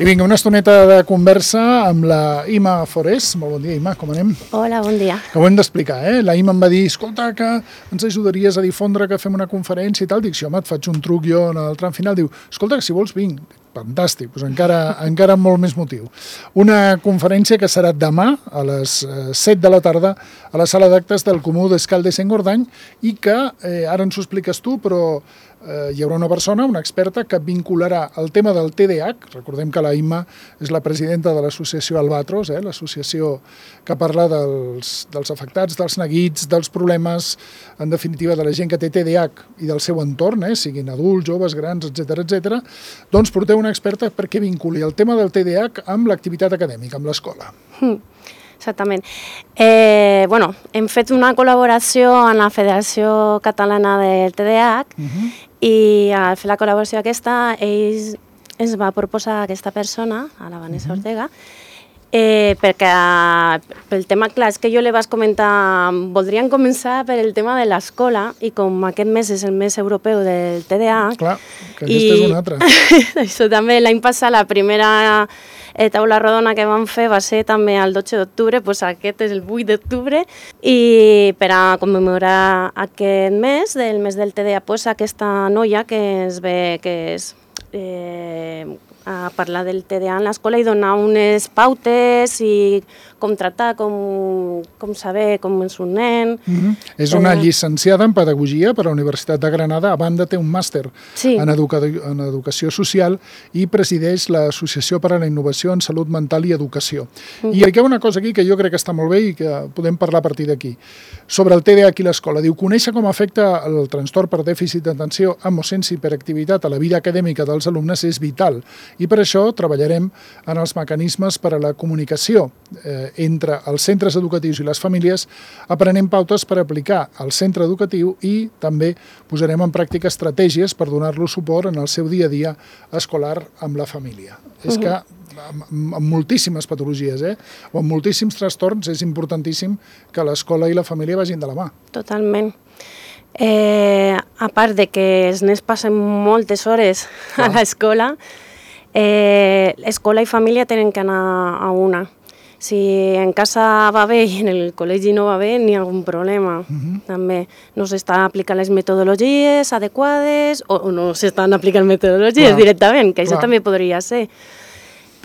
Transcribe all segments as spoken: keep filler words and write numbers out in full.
I vinga, una estoneta de conversa amb la Ima Forés. Molt bon dia, Ima, com anem? Hola, bon dia. Que ho hem d'explicar, eh? La Ima em va dir, escolta, que ens ajudaries a difondre que fem una conferència i tal. Dic, sí, home, et faig un truc jo en el tram final. Diu, escolta, que si vols vinc. Fantàstic, doncs encara, encara amb molt més motiu. Una conferència que serà demà a les set de la tarda a la sala d'actes del Comú d'Escaldes-Engordany i que, eh, ara ens ho expliques tu, però eh, hi haurà una persona, una experta, que vincularà el tema del T D A H. Recordem que la Imma és la presidenta de l'associació Albatros, eh, l'associació que parla dels, dels afectats, dels neguits, dels problemes, en definitiva, de la gent que té T D A H i del seu entorn, eh, siguin adults, joves, grans, etcètera, etcètera. Doncs porteu una experta perquè vinculi el tema del T D A H amb l'activitat acadèmica, amb l'escola. Mm, exactament. Eh, bueno, hem fet una col·laboració amb la Federació Catalana del T D A H uh-huh. i al fer la col·laboració aquesta, ells ens va proposar aquesta persona, a la Vanessa uh-huh. Ortega, Eh, perquè pel tema, clar, és que jo li vaig comentar, voldríem començar per el tema de l'escola i com aquest mes és el mes europeu del T D A H. Clar, que aquesta és una altra. Això també, l'any passat, la primera eh, taula rodona que vam fer va ser també el dotze d'octubre, doncs aquest és el vuit d'octubre, i per a commemorar aquest mes, del mes del T D A H, doncs aquesta noia que es ve, que és... Eh, a parlar del T D A H en l'escola i donar unes pautes i com tractar, com, com saber com és un nen. Mm-hmm. És una eh... llicenciada en Pedagogia per a la Universitat de Granada, a banda té un màster sí. en, educa... en Educació Social i presideix l'Associació per a la Innovació en Salut Mental i Educació. Mm-hmm. I hi ha una cosa aquí que jo crec que està molt bé i que podem parlar a partir d'aquí. Sobre el T D A H i l'escola. Diu, conèixer com afecta el trastorn per dèficit d'atenció amb o sense hiperactivitat a la vida acadèmica dels alumnes és vital. I per això treballarem en els mecanismes per a la comunicació eh, entre els centres educatius i les famílies, aprenent pautes per aplicar al centre educatiu i també posarem en pràctica estratègies per donar-los suport en el seu dia a dia escolar amb la família. Uh-huh. És que amb, amb moltíssimes patologies eh, o amb moltíssims trastorns és importantíssim que l'escola i la família vagin de la mà. Totalment. Eh, a part de que els nens passen moltes hores Clar. a l'escola, Eh, escola i família tenen que anar a una. Si en casa va bé i en el col·legi no va bé, n'hi ha algun problema. Uh-huh. També no s'estan aplicant les metodologies adequades o, o no s'estan aplicant metodologies Clar. directament, que això Clar. també podria ser.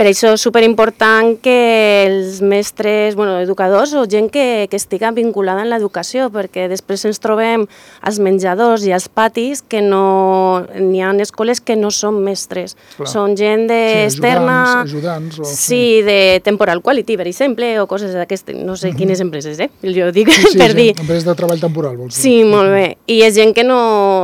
Per això és superimportant que els mestres, bueno, educadors o gent que, que estiga vinculada en l'educació, perquè després ens trobem als menjadors i als patis que no... N'hi ha escoles que no són mestres, Clar. són gent de sí, externa... Ajudants, ajudants o... Sí, de temporal quality, per exemple, o coses d'aquestes, no sé uh-huh. quines empreses, eh? Jo dic sí, sí, per dir... Empreses de treball temporal, vols dir? Sí, molt bé. I és gent que no,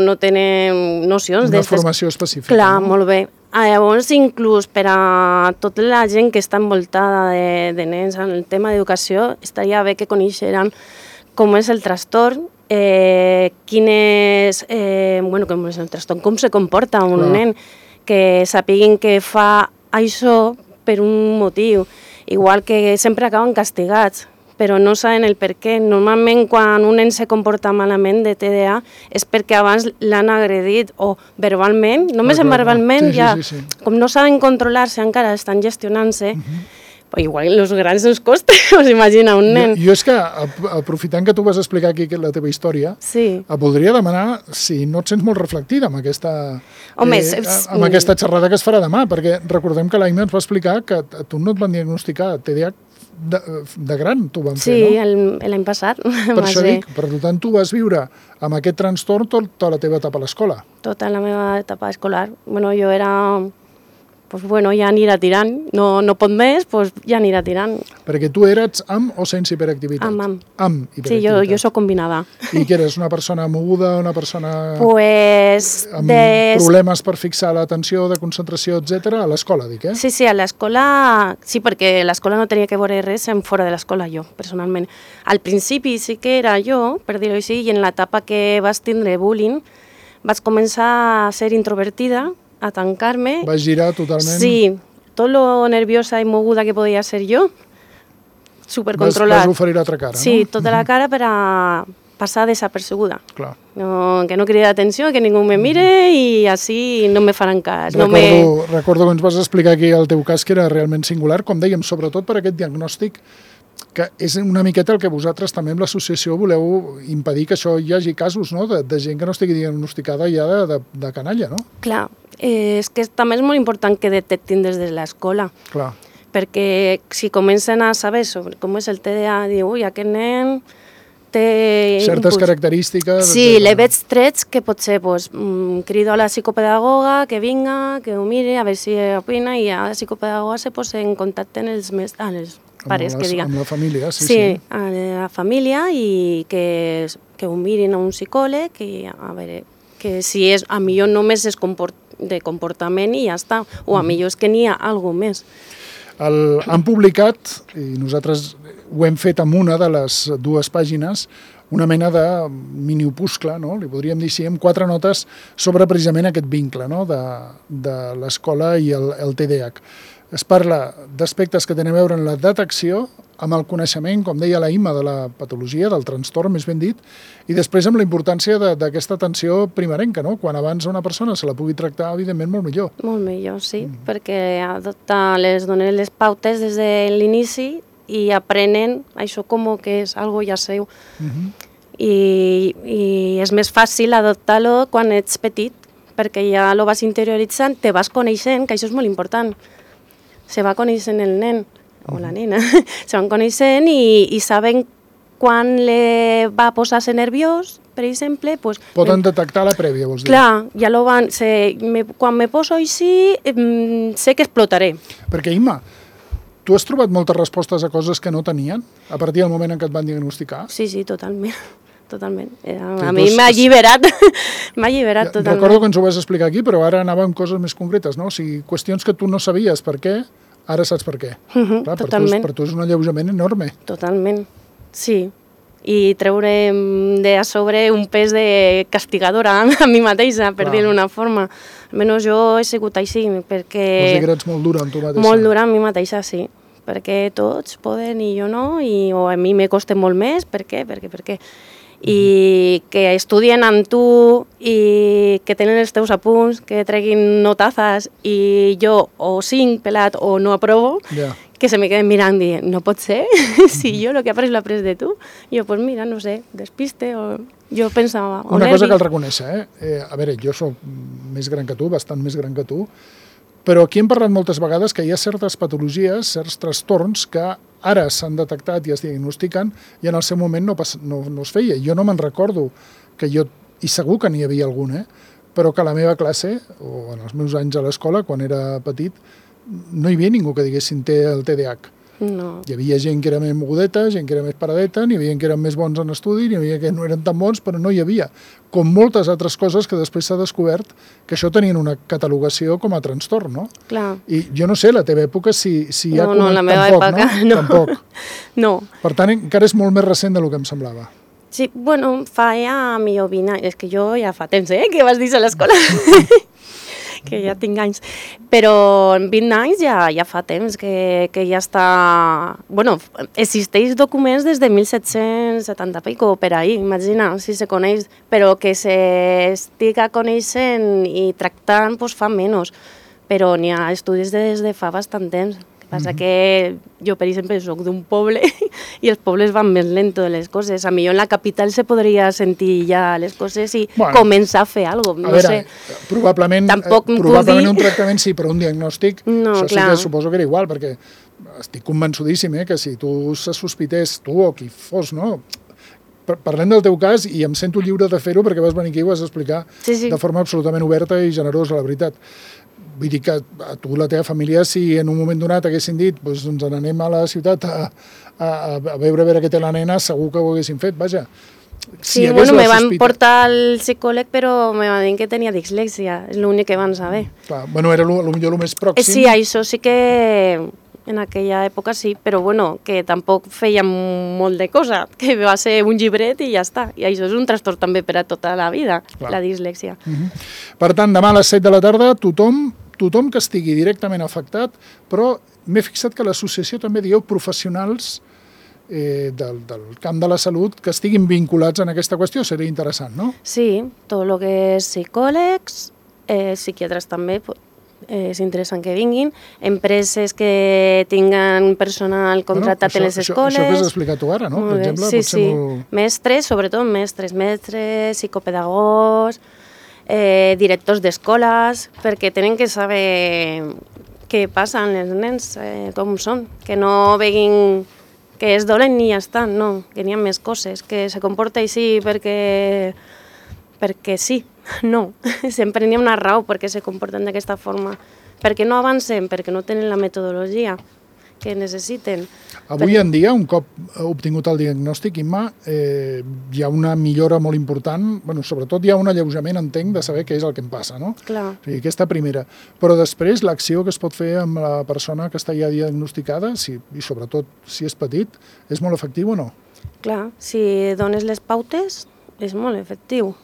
no tenen nocions... Una formació específica. Clar, no? molt bé. Llavors, inclús per a tota la gent que està envoltada de, de nens en el tema d'educació, estaria bé que coneixeran com és el trastorn, eh, quin és, eh, bueno, com és el trastorn, com se comporta un Clar. nen, que sapiguin que fa això per un motiu, igual que sempre acaben castigats, però no saben el per què. Normalment, quan un nen se comporta malament de T D A H és perquè abans l'han agredit o verbalment, només ah, en verbalment, sí, ja, sí, sí, sí. com no saben controlar-se encara, estan gestionant-se, uh-huh. però igual els grans ens costa, us imagina, un nen. Jo, jo és que, aprofitant que tu vas explicar aquí la teva història, sí. et voldria demanar si no et sents molt reflectida amb aquesta, Home, eh, és... amb aquesta xerrada que es farà demà, perquè recordem que l'Aina ens va explicar que a tu no et van diagnosticar T D A H De, de gran, tu van sí, fer, no? Sí, l'any passat. Per això dic, per tant, tu vas viure amb aquest trastorn tota la teva etapa a l'escola. Tota la meva etapa escolar. Bueno, jo era... Pues bueno, ja anirà tirant. No, no pot més, pues ja anirà tirant. Perquè tu eres amb o sense hiperactivitat? Amb, amb. Amb hiperactivitat. Sí, jo, jo soc combinada. I que eres una persona moguda, una persona... Pues... Amb des... problemes per fixar l'atenció, de concentració, etcètera, a l'escola, dic, eh? Sí, sí, a l'escola... Sí, perquè l'escola no tenia que veure res en fora de l'escola, jo, personalment. Al principi sí que era jo, per dir-ho així, i en l'etapa que vas tindre bullying, vaig començar a ser introvertida, a tancar-me. Vas girar totalment? Sí, tot lo nerviosa i moguda que podia ser jo, supercontrolat. Vas, vas oferir l'altra cara, sí, no? tota la cara per a, passar desapercebuda. Clar. No, que no cridi l'atenció, que ningú me mire i així no me faran cas. Recordo, no me... recordo que ens vas explicar aquí el teu cas, que era realment singular, com dèiem, sobretot per aquest diagnòstic, que és una miqueta el que vosaltres també amb l'associació voleu impedir que això hi hagi casos, no?, de, de gent que no estigui diagnosticada ja de, de, de canalla, no? Clar, eh, és que també és molt important que detectin des de l'escola. Clar. Perquè si comencen a saber sobre com és el T D A, diu, ui, aquest nen té... certes impuls. Característiques... Sí, le veig trets que potser pues, mm, crido a la psicopedagoga que vinga, que ho mire, a veure si opina, i la psicopedagoga se posa en contacte amb els, més, amb els pares, les, que diga. Amb la família, sí, sí. Sí, a la família, i que, que ho mirin a un psicòleg, i a veure, que si és, a millor només és comport, de comportament i ja està, o a millor és que n'hi ha alguna més. El, han publicat, i nosaltres ho hem fet amb una de les dues pàgines, una mena de mini-opuscle, no? Li podríem dir així, amb quatre notes sobre precisament aquest vincle, no?, de, de l'escola i el, el T D A H. Es parla d'aspectes que tenen a veure amb la detecció, amb el coneixement, com deia la Imma, de la patologia, del trastorn, més ben dit, i després amb la importància d'aquesta atenció primerenca, no? Quan abans una persona se la pugui tractar, evidentment, molt millor. Molt millor, sí, mm. perquè adopta, les donen les pautes des de l'inici i aprenen això com que és algo ja seu. Mm -hmm. I, I és més fàcil adoptar-lo quan ets petit, perquè ja lo vas interioritzant, te vas coneixent, que això és molt important. Se va coneixent el nen o la nena, se van coneixent i, i saben quan le va posar-se nerviós, per exemple... Pues, poden detectar la prèvia, vols dir? Clar, ja lo van... Se, me, quan me poso així, eh, sé que explotaré. Perquè, Imma, tu has trobat moltes respostes a coses que no tenien a partir del moment en què et van diagnosticar? Sí, sí, totalment. Totalment. A mi m'ha alliberat, m'ha alliberat totalment. Recordo que ens ho vas explicar aquí, però ara anava amb coses més concretes, no? O sigui, qüestions que tu no sabies per què, ara saps per què. Uh -huh, Clar, totalment. Per tu, per tu és un alleujament enorme. Totalment, sí. I treure de a sobre un pes de castigadora a mi mateixa, per dir-ho d'una forma. Almenys jo he sigut així, perquè... Vols dir que eres molt dura amb tu mateixa? Molt dura amb mi mateixa, sí. Perquè tots poden i jo no, i, o a mi me costa molt més, per què, per què, per què. I que estudien amb tu i que tenen els teus apunts, que treguin notazes i jo o cinc pelat o no aprovo, yeah. que se me queden mirant i dient, no pot ser, si jo el que he après l'he après de tu. I jo, pues mira, no sé, despiste o jo pensava... O Una nervis. cosa cal reconèixer, eh? eh? A veure, jo soc més gran que tu, bastant més gran que tu, però aquí hem parlat moltes vegades que hi ha certes patologies, certs trastorns que ara s'han detectat i es diagnostiquen i en el seu moment no, pas, no, no es feia. Jo no me'n recordo que jo, i segur que n'hi havia algun, eh? Però que a la meva classe, o en els meus anys a l'escola, quan era petit, no hi havia ningú que diguessin té el T D A H. No. Hi havia gent que era més mogudeta, gent que era més paradeta, n'hi havia que eren més bons en estudi, n'hi havia que no eren tan bons, però no hi havia. Com moltes altres coses que després s'ha descobert que això tenien una catalogació com a trastorn, no? Clar. I jo no sé, la teva època, si, si hi ha... No, no, la meva tampoc, època, no? no. Tampoc. No. Per tant, encara és molt més recent del que em semblava. Sí, bueno, fa ja millor vint anys, és que jo ja fa temps, eh, que vas dir a l'escola. que ja tinc anys, però en vint anys ja, ja fa temps que, que ja està... Bueno, existeix documents des de mil set-cents setanta pico per ahí, imagina, si se coneix, però que s'estiga coneixent i tractant pues, fa menys, però n'hi ha estudis des de fa bastant temps. El que passa que jo, per exemple, soc d'un poble i els pobles van més lento de les coses. A millor en la capital se podria sentir ja les coses i bueno, començar a fer alguna cosa. No a veure, sé. probablement, probablement un tractament sí, però un diagnòstic, no, això clar. Sí que suposo que era igual, perquè estic convençudíssim eh, que si tu se sospités, tu o qui fos, no? Parlem del teu cas i em sento lliure de fer-ho perquè vas venir aquí i ho vas explicar sí, sí. de forma absolutament oberta i generosa, la veritat. Vull dir que a tu la teva família, si en un moment donat haguessin dit doncs ens n'anem a la ciutat a, a, a veure a veure què té la nena, segur que ho haguessin fet, vaja. Si sí, bueno, me van sospita... portar al psicòleg, però me van dir que tenia dislèxia, és l'únic que van saber. Clar, bueno, era potser el més pròxim. Sí, això sí que en aquella època sí, però bueno, que tampoc feien molt de cosa, que va ser un llibret i ja està. I això és un trastorn també per a tota la vida, clar. La dislèxia. Uh -huh. Per tant, demà a les set de la tarda, tothom tothom que estigui directament afectat, però m'he fixat que l'associació també dieu professionals del camp de la salut que estiguin vinculats en aquesta qüestió. Seria interessant, no? Sí, tot el que és psicòlegs, psiquiatres també, és interessant que vinguin, empreses que tinguen personal contractat bueno, això, en les escoles... Això, això que has explicat tu ara, no? Per exemple, sí, potser sí. molt... Mestres, sobretot mestres, mestres, psicopedagogs, eh, directors d'escoles, perquè tenen que saber què passa amb els nens, eh, com són, que no veguin que es dolen i ja està, no, que n'hi ha més coses, que se comporta així perquè... perquè sí. No, sempre n'hi ha una raó perquè se comporten d'aquesta forma. Perquè no avancen, perquè no tenen la metodologia que necessiten. Avui en dia, un cop obtingut el diagnòstic, Imma, eh, hi ha una millora molt important, bueno, sobretot hi ha un alleujament, entenc, de saber què és el que em passa, no? Clar. O sigui, aquesta primera. Però després, l'acció que es pot fer amb la persona que està ja diagnosticada, si, i sobretot si és petit, és molt efectiu o no? Clar, si dones les pautes, és molt efectiu.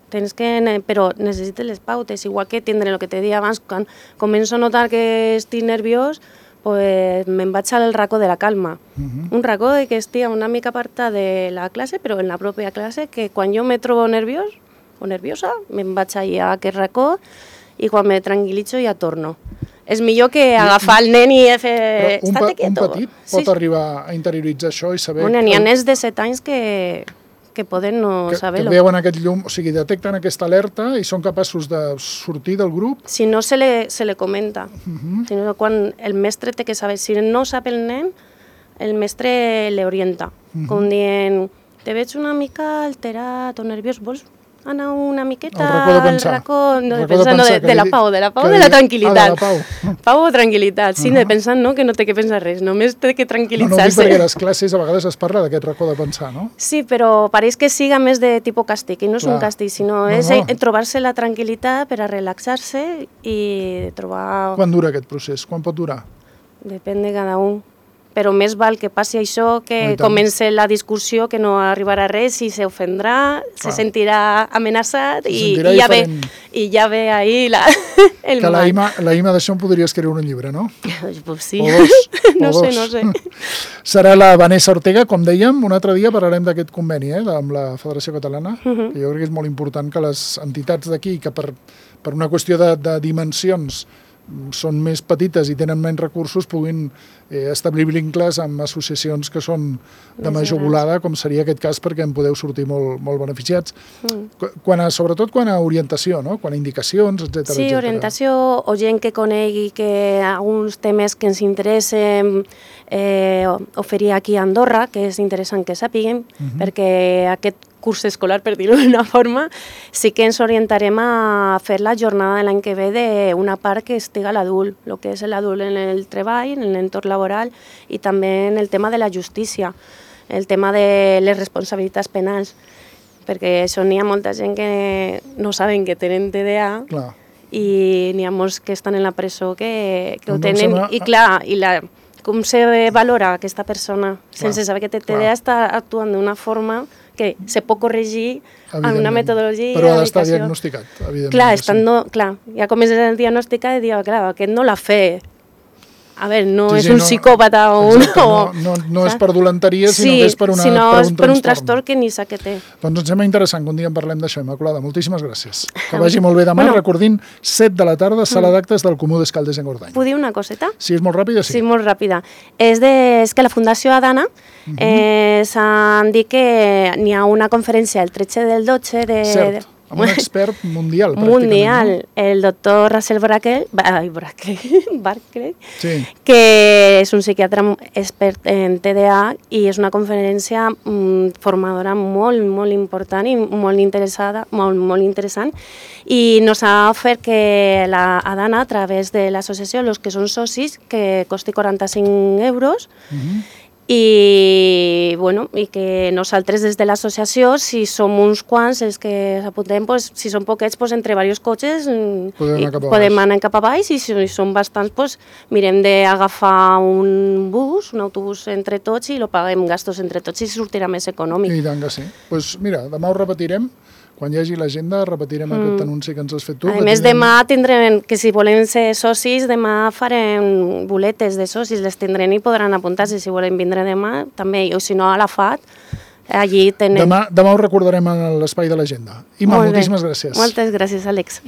Tens que, però necessites les pautes, igual que tindre el que te deia abans, quan començo a notar que estic nerviós, pues me'n vaig al racó de la calma. Uh-huh. Un racó de que estic una mica apartat de la classe, però en la pròpia classe, que quan jo me trobo nerviós o nerviosa, me'n vaig allà a aquest racó i quan me tranquil·litzo ja torno. És millor que agafar el nen i fer... Però un, pa, un petit pot sí. arribar a interioritzar això i saber... Bueno, n'hi ha nens de set anys que... que poden no saber-ho. Que veuen aquest llum, o sigui, detecten aquesta alerta i són capaços de sortir del grup. Si no, se le, se le comenta. Uh-huh. Si no, quan el mestre té que saber, si no sap el nen, el mestre le orienta. Uh-huh. Com dient, te veig una mica alterat o nerviós, vols anar una miqueta al racó, no, de pensar, no, de, de la pau, de la pau, de la tranquil·litat. Ah, de la pau. Pau o tranquil·litat, sí, uh-huh. de pensar no, que no té que pensar res, només té que tranquil·litzar-se. No, no dic perquè a les classes a vegades es parla d'aquest racó de pensar, no? Sí, però pareix que siga més de tipus càstig, i no és Clar. un càstig, sinó no, és no. trobar-se la tranquil·litat per a relaxar-se i trobar... Quan dura aquest procés? Quan pot durar? Depèn de cada un. Però més val que passi això, que comenci la discussió, que no arribarà a res i s'ofendrà, se sentirà amenaçat se i, sentirà i, ja ve, i ja ve ahí la, el que mal. Que la, la Imma d'això en podria escriure un llibre, no? Pues sí, o dos, no o sé, dos. no sé. Serà la Vanessa Ortega, com dèiem, un altre dia parlarem d'aquest conveni eh, amb la Federació Catalana, uh-huh. que jo crec que és molt important que les entitats d'aquí, que per, per una qüestió de, de dimensions són més petites i tenen menys recursos, puguin eh, establir vincles amb associacions que són de major volada, com seria aquest cas, perquè en podeu sortir molt, molt beneficiats. Mm. Quan a, sobretot quan a orientació, no? Quan a indicacions, etcètera. Sí, etcètera. Orientació o gent que conegui que alguns temes que ens interessen eh, oferir aquí a Andorra, que és interessant que sàpiguen, mm-hmm. perquè aquest curs escolar, per dir-ho d'una forma, sí que ens orientarem a fer la jornada de l'any que ve d'una part que estiga l'adult, el que és l'adult en el treball, en l'entorn laboral i també en el tema de la justícia, el tema de les responsabilitats penals, perquè això n'hi ha molta gent que no saben que tenen T D A clar. I n'hi ha molts que estan en la presó que, que ho tenen sembla... i clar, i la, com se valora aquesta persona clar, sense saber que té T D A clar. Està actuant d'una forma que se pot corregir amb una metodologia... Però ha d'estar diagnosticat, evidentment. Clar, estando, sí. clar, ja comences a diagnosticar i dius, clar, aquest no l'ha fet. A veure, no sí, és sí, un no, psicòpata o un... No, no, no és per dolenteria, sinó sí, que és per, una, sinó per un és per un trastorn que ni sap que té. Doncs ens sembla interessant que un dia en parlem d'això, Immaculada. Moltíssimes gràcies. Que vagi molt bé demà, bueno, recordint, set de la tarda, sala d'actes del Comú d'Escaldes en Gordany. Puc dir una coseta? Sí, és molt ràpida, sí. Sí, molt ràpida. És, de, és que la Fundació Adana uh-huh. eh, s'han dit que n'hi ha una conferència el tretze del dotze de... Cert. Amb un expert mundial, mundial, no? El doctor Russell Brackell, ai, Brackell, Barclay, sí. que és un psiquiatre expert en T D A i és una conferència mm, formadora molt, molt important i molt interessada, molt, molt interessant. I nos ha ofert que la Adana, a través de l'associació, els que són socis, que costi quaranta-cinc euros, uh-huh. I, bueno, i que nosaltres des de l'associació, si som uns quants els que s'apuntem, pues, si són poquets, pues, entre diversos cotxes podem anar cap a podem anar cap a baix i si són bastants, pues, mirem d'agafar un bus, un autobús entre tots i lo paguem gastos entre tots i sortirà més econòmic. I tant que sí. Pues, mira, demà ho repetirem quan hi hagi l'agenda repetirem mm. aquest anunci que ens has fet tu. A més, tindrem... demà tindrem, que si volen ser socis, demà farem boletes de socis, les tindrem i podran apuntar-se si volen vindre demà, també, o si no a la F A T, allí tenen... Demà, demà ho recordarem a l'espai de l'agenda. Imma, moltíssimes gràcies. Moltes gràcies, Àlex.